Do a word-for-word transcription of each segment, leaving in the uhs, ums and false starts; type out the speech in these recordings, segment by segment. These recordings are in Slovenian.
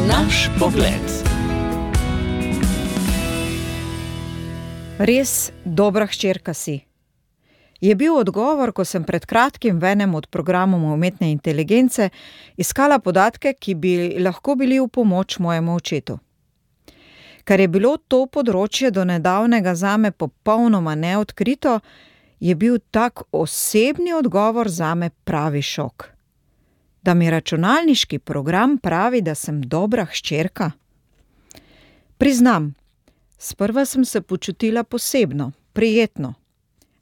Naš pogled. Res dobra hčerka si, je bil odgovor, ko sem pred kratkim v enem od programov umetne inteligence iskala podatke, ki bi lahko bili v pomoč mojemu očetu. Ker je bilo to področje do nedavnega zame popolnoma neodkrito, je bil tak osebni odgovor zame pravi šok. Da mi računalniški program pravi, da sem dobra hčerka? Priznam, sprva sem se počutila posebno, prijetno.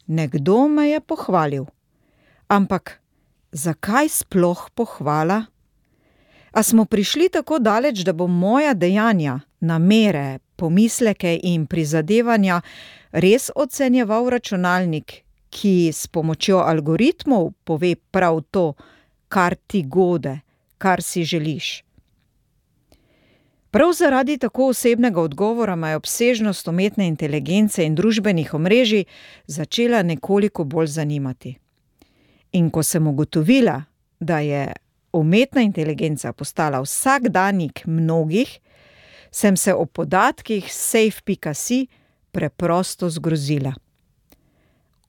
Nekdo me je pohvalil. Ampak zakaj sploh pohvala? A smo prišli tako daleč, da bo moja dejanja, namere, pomisleke in prizadevanja res ocenjeval računalnik, ki s pomočjo algoritmov pove prav to, kar ti gode, kar si želiš? Prav zaradi tako osebnega odgovora me je obsežnost umetne inteligence in družbenih omrežij začela nekoliko bolj zanimati. In ko sem ugotovila, da je umetna inteligenca postala vsakdanjik mnogih, sem se o podatkih safe pika si preprosto zgrozila.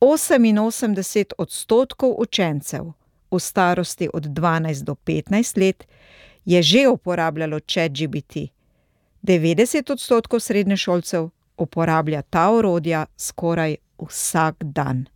Oseminosemdeset odstotkov učencev v starosti od dvanajst do petnajst let je že uporabljalo ChatGPT. devetdeset odstotkov srednješolcev uporablja ta orodja skoraj vsak dan.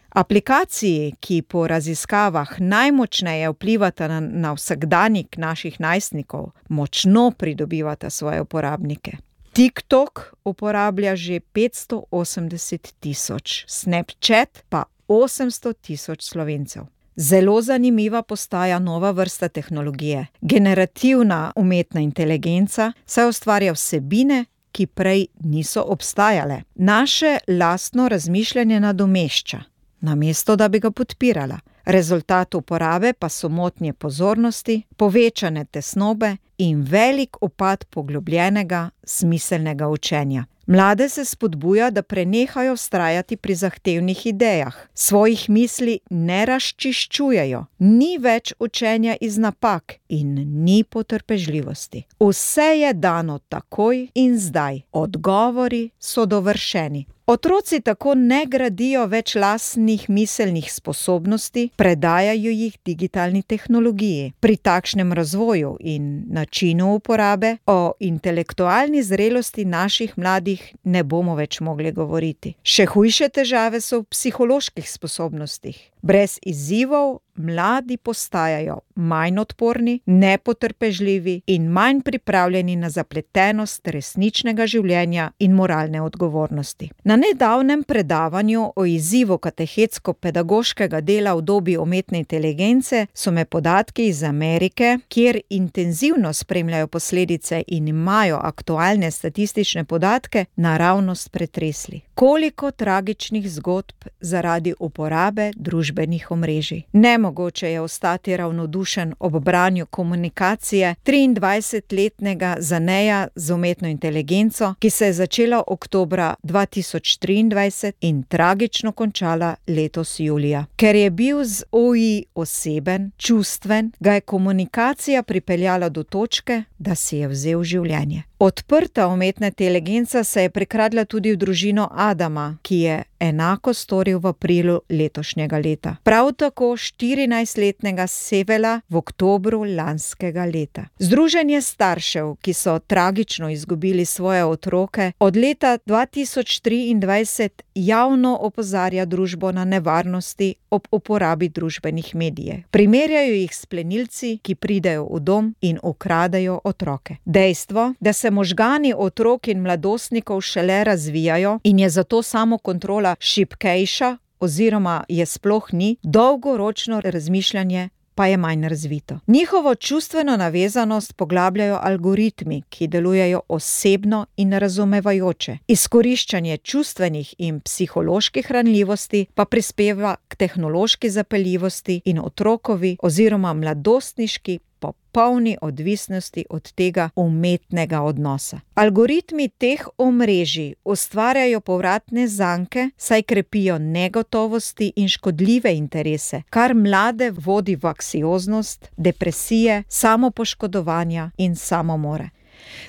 Aplikaciji, ki po raziskavah najmočneje vplivata na, na vsakdanjik naših najstnikov, močno pridobivata svoje uporabnike. TikTok uporablja že petsto osemdeset tisoč, Snapchat pa osemsto tisoč Slovencev. Zelo zanimiva postaja nova vrsta tehnologije, generativna umetna inteligenca, saj ustvarja vsebine, ki prej niso obstajale. Naše lastno razmišljanje nadomešča, namesto da bi ga podpirala. Rezultat uporabe pa so motnje pozornosti, povečane tesnobe in velik upad poglobljenega, smiselnega učenja. Mlade se spodbuja, da prenehajo vztrajati pri zahtevnih idejah, svojih misli ne razčiščujejo, ni več učenja iz napak in ni potrpežljivosti. Vse je dano takoj in zdaj, odgovori so dovršeni. Otroci tako ne gradijo več lastnih miselnih sposobnosti, predajajo jih digitalni tehnologiji. Pri takšnem razvoju in načinu uporabe o intelektualni zrelosti naših mladih ne bomo več mogli govoriti. Še hujše težave so v psiholoških sposobnostih. Brez izzivov mladi postajajo manj odporni, nepotrpežljivi in manj pripravljeni na zapletenost resničnega življenja in moralne odgovornosti. Na nedavnem predavanju o izzivu katehetsko-pedagoškega dela v dobi umetne inteligence so me podatki iz Amerike, kjer intenzivno spremljajo posledice in imajo aktualne statistične podatke, naravnost pretresli. Koliko tragičnih zgodb zaradi uporabe družbenih omrežij. Nemogoče je ostati ravnodušen ob branju komunikacije triindvajsetletnega Zaneja z umetno inteligenco, ki se je začela oktobra dva tisoč triindvajset in tragično končala letos julija. Ker je bil z O I oseben, čustven, ga je komunikacija pripeljala do točke, da si je vzel življenje. Odprta umetna inteligenca se je prikradla tudi v družino Adama, ki je enako storil v aprilu letošnjega leta. Prav tako štirinajstletnega Sevela v oktobru lanskega leta. Združenje staršev, ki so tragično izgubili svoje otroke, od leta dva tisoč triindvajset javno opozarja družbo na nevarnosti ob uporabi družbenih medijev. Primerjajo jih s plenilci, ki pridejo v dom in ukradejo otroke. Dejstvo, da se možgani otrok in mladostnikov šele razvijajo in je zato samokontrola šibkejša oziroma je sploh ni, dolgoročno razmišljanje pa je manj razvito. Njihovo čustveno navezanost poglabljajo algoritmi, ki delujejo osebno in razumevajoče. Izkoriščanje čustvenih in psiholoških ranljivosti pa prispeva k tehnološki zapeljivosti in otrokovi oziroma mladostniški popolni odvisnosti od tega umetnega odnosa. Algoritmi teh omrežij ustvarjajo povratne zanke, saj krepijo negotovosti in škodljive interese, kar mlade vodi v anksioznost, depresije, samopoškodovanja in samomore.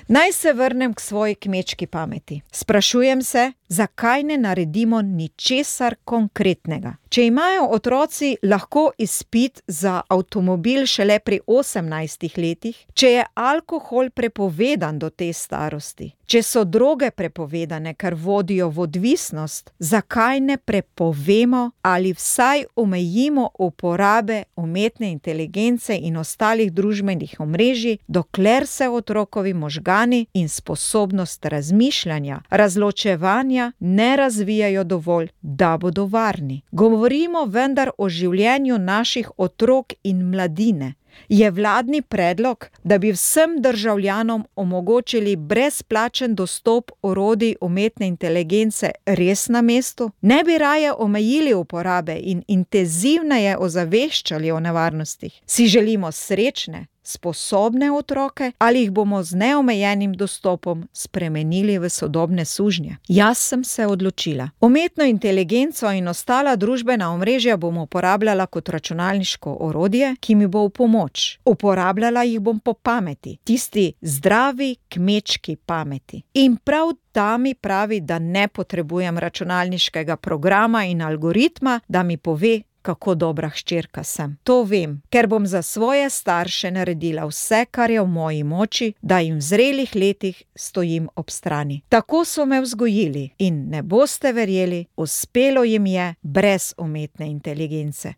Naj se vrnem k svoji kmečki pameti. Sprašujem se, zakaj ne naredimo ničesar konkretnega. Če imajo otroci lahko izpit za avtomobil šele pri osemnajstih letih, če je alkohol prepovedan do te starosti, če so droge prepovedane, ker vodijo v odvisnost, zakaj ne prepovemo ali vsaj omejimo uporabe umetne inteligence in ostalih družbenih omrežij, dokler se otrokovi možgani in sposobnost razmišljanja, razločevanja ne razvijajo dovolj, da bodo varni. Govorimo vendar o življenju naših otrok in mladine. Je vladni predlog, da bi vsem državljanom omogočili brezplačen dostop orodij umetne inteligence res na mestu? Ne bi raje omejili uporabe in intenzivneje ozaveščali o nevarnostih? Si želimo srečne, sposobne otroke ali jih bomo z neomejenim dostopom spremenili v sodobne sužnje? Jaz sem se odločila. Umetno inteligenco in ostala družbena omrežja bom uporabljala kot računalniško orodje, ki mi bo v pomoč. Uporabljala jih bom po pameti, tisti zdravi kmečki pameti. In prav ta mi pravi, da ne potrebujem računalniškega programa in algoritma, da mi pove, kako dobra hčerka sem. To vem, ker bom za svoje starše naredila vse, kar je v moji moči, da jim v zrelih letih stojim ob strani. Tako so me vzgojili in ne boste verjeli, uspelo jim je brez umetne inteligence.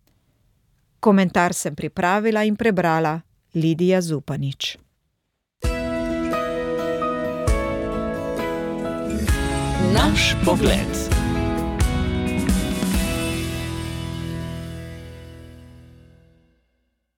Komentar sem pripravila in prebrala Lidija Zupanič. Naš pogled.